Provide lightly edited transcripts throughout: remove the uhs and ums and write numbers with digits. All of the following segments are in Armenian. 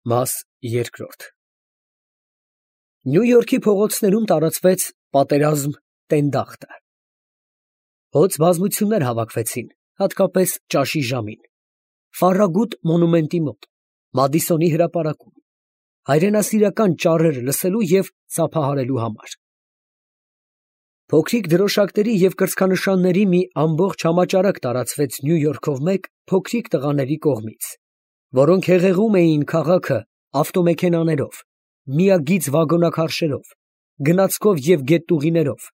Մաս երկրորդ Նյու Յորքի փողոցներում տարածվեց պատերազմ տենդախտը։ Հոծ բազմություններ հավաքվեցին, հատկապես ճաշի ժամին, Ֆարրագուտ մոնումենտի մոտ, Մադիսոնի հրապարակում, հայրենասիրական ճառեր լսելու և ծափահարելու համար։ Փոքրիկ դրոշակների և կրծքանշանների մի ամբողջ համաճարակ տարածվեց Նյու Յորքով մեկ փոքրիկ տղաների կողմից, որոնք հեղեղում էին քաղաքը ավտոմեքենաներով, միագիծ վագոնաքարշերով, գնացքով և գետտուղիներով,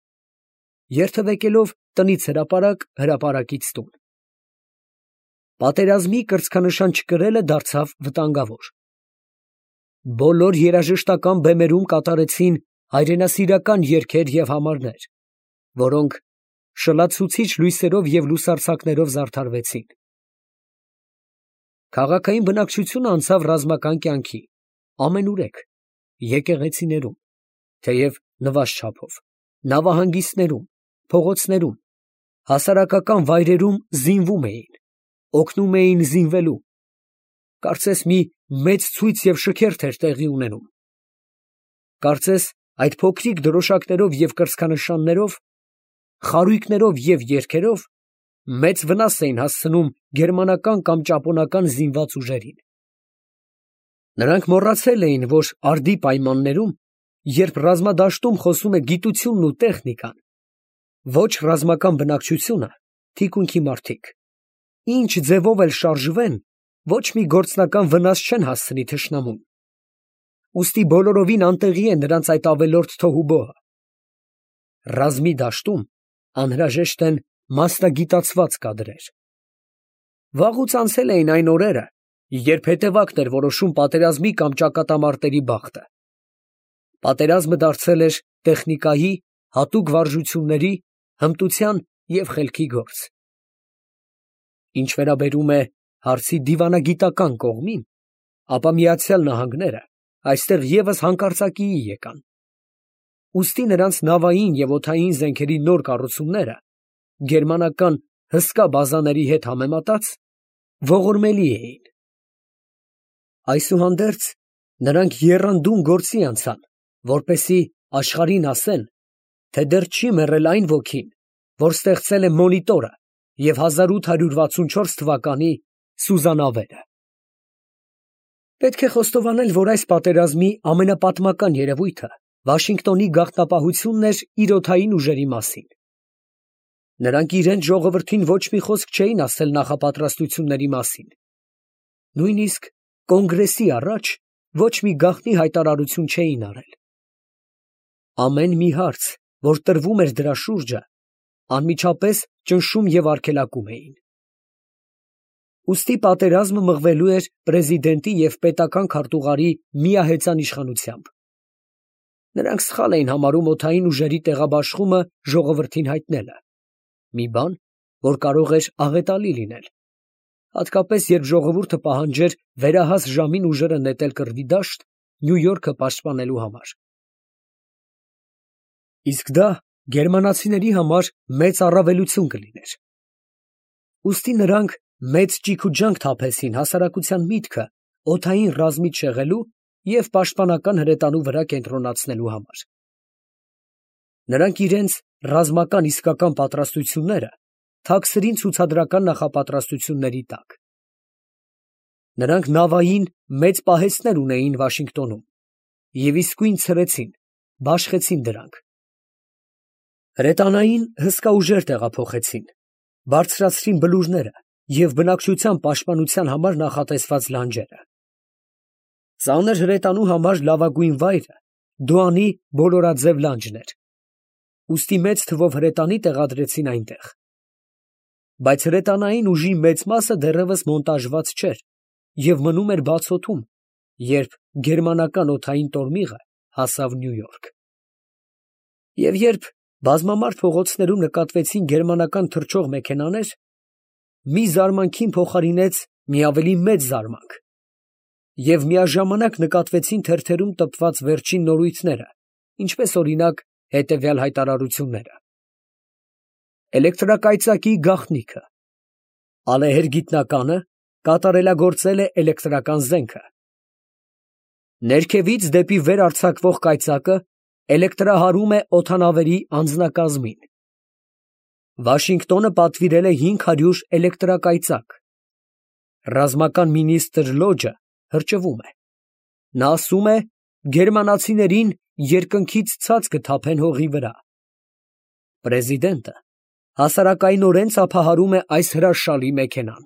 երթևեկելով տնից հրապարակ, հրապարակից տուն։ Պատերազմի կրծքանշան չկրելը դարձավ վտանգավոր։ Բոլոր երաժշտական բեմերում կատարեցին հայրենասիրական երգեր և համարներ, որոնք շլացուցիչ լույսերով և լուսարձակներով զարդարվեցին։ Քաղաքային բնակչությունը անցավ ռազմական կյանքի, ամենուրեք, եկեղեցիներում, թեև նվազ չափով, նավահանգիստներում, փողոցներում, հասարակական վայրերում զինվում էին, օգնում էին զինվելու, կարծես մի մեծ ցույց և շքերթ էր տեղի ունենում։ Կարծես այդ փոքրիկ դրոշակներով և կրծքանշաններով, խարույկներով և երգերով մեծ վնաս էին հասցնում գերմանական կամ ճապոնական զինված ուժերին։ Նրանք մոռացել էին, որ արդի պայմաններում, երբ ռազմադաշտում խոսում է գիտությունն ու տեխնիկան, ոչ ռազմական բնակչությունը, թիկունքի մարդիկ, ինչ ձևով էլ շարժվեն, ոչ մի գործնական վնաս չեն հասցնի թշնամուն։ Ուստի բոլորովին անտեղի է նրանց այդ ավելորդ թոհուբոհը։ Ռազմի դաշտում անհրաժեշտ են մասնագիտացված կադրեր։ Վաղուց անցել էին այն օրերը, երբ հետևակն էր որոշում պատերազմի կամ ճակատամարտերի բախտը։ Պատերազմը դարձել էր տեխնիկայի, հատուկ վարժությունների, հմտության և խելքի գործ։ Ինչ վերաբերում է հարցի դիվանագիտական կողմին, ապա Միացյալ Նահանգները այստեղ ևս հանկարծակիի եկան։ Ուստի նրանց նավային և օդային զենքերի նոր կառուցումները գերմանական հսկա բազաների հետ համեմատած ողորմելի էին։ Այսուհանդերձ նրանք եռանդուն գործի անցան, որպեսզի աշխարհին ասեն, թե դեռ չի մեռել այն ոգին, որ ստեղծել է մոնիտորը և 1864 թվականի սուզանավերը։ Պետք է խոստովանել, որ այս պատերազմի ամենապատմական երևույթը Վաշինգտոնի գաղտնապահությունն էր իր օդային ուժերի մասին։ Նրանք իրենց ժողովրդին ոչ մի խոսք չէին ասել նախապատրաստությունների մասին։ Նույնիսկ կոնգրեսի առաջ ոչ մի գաղտնի հայտարարություն չէին արել։ Ամեն մի հարց, որ տրվում էր դրա շուրջը, անմիջապես ճնշում և արգելակում էին։ Ուստի պատերազմը մղվելու էր պրեզիդենտի և պետական քարտուղարի միահեծան իշխանությամբ։ Նրանք սխալ էին համարում օդային ուժերի տեղաբաշխումը ժողովրդին հայտնելը, մի բան, որ կարող էր աղետալի լինել, հատկապես երբ ժողովուրդը պահանջեր վերահաս ժամին ուժերը նետել կռվի դաշտ Նյու Յորքը պաշտպանելու համար։ Իսկ դա գերմանացիների համար մեծ առավելություն կլիներ։ Ուստի նրանք մեծ ճիգ ու ջանք թափեցին հասարակության միտքը օդային ռազմից շեղելու և պաշտպանական հրետանու վրա կենտրոնացնելու համար։ Նրանք իրենց ռազմական իսկական պատրաստությունները թաքցրին ցուցադրական նախապատրաստությունների տակ։ Նրանք նավային մեծ պահեստներ ունեին Վաշինգտոնում և իսկույն ցրեցին, բաշխեցին դրանք։ Հրետանային հսկա ուժեր տեղափոխեցին, բարձրացրին բլուրները և բնակչության պաշտպանության համար նախատեսված լանջերը։ Ծանր հրետանու համար լավագույն վայրը Դուանի բոլորաձև լանջն էր, ուստի մեծ թվով հրետանի տեղադրեցին այնտեղ։ Բայց հրետանային ուժի մեծ մասը դեռևս մոնտաժված չէր և մնում էր բացօդում, երբ գերմանական օդային տորմիղը հասավ Նյու Յորք։ Եվ երբ բազմամարդ փողոցներում նկատվեցին գերմանական թռչող մեքենաներ, մի զարմանքին փոխարինեց մի ավելի մեծ զարմանք, և միաժամանակ նկատվեցին թերթերում տպված վերջին նորույթները, ինչպես օրինակ հետևյալ հայտարարությունները. Էլեկտրակայծակի գաղտնիքը, ալեհեր գիտնականը կատարելագործել է էլեկտրական զենքը, Ներքևից դեպի վեր արձակվող կայծակը էլեկտրահարում է օդանավերի անձնակազմին։ Վաշինգտոնը պատվիրել է 500 էլեկտրակայծակ։ Ռազմական մինիստր Լոջը հրճվում է։ Նա ասում է, գերմանացիներին երկնքից ցած կթափեն հողի վրա։ Պրեզիդենտը հասարակայնորեն ծափահարում է այս հրաշալի մեքենան։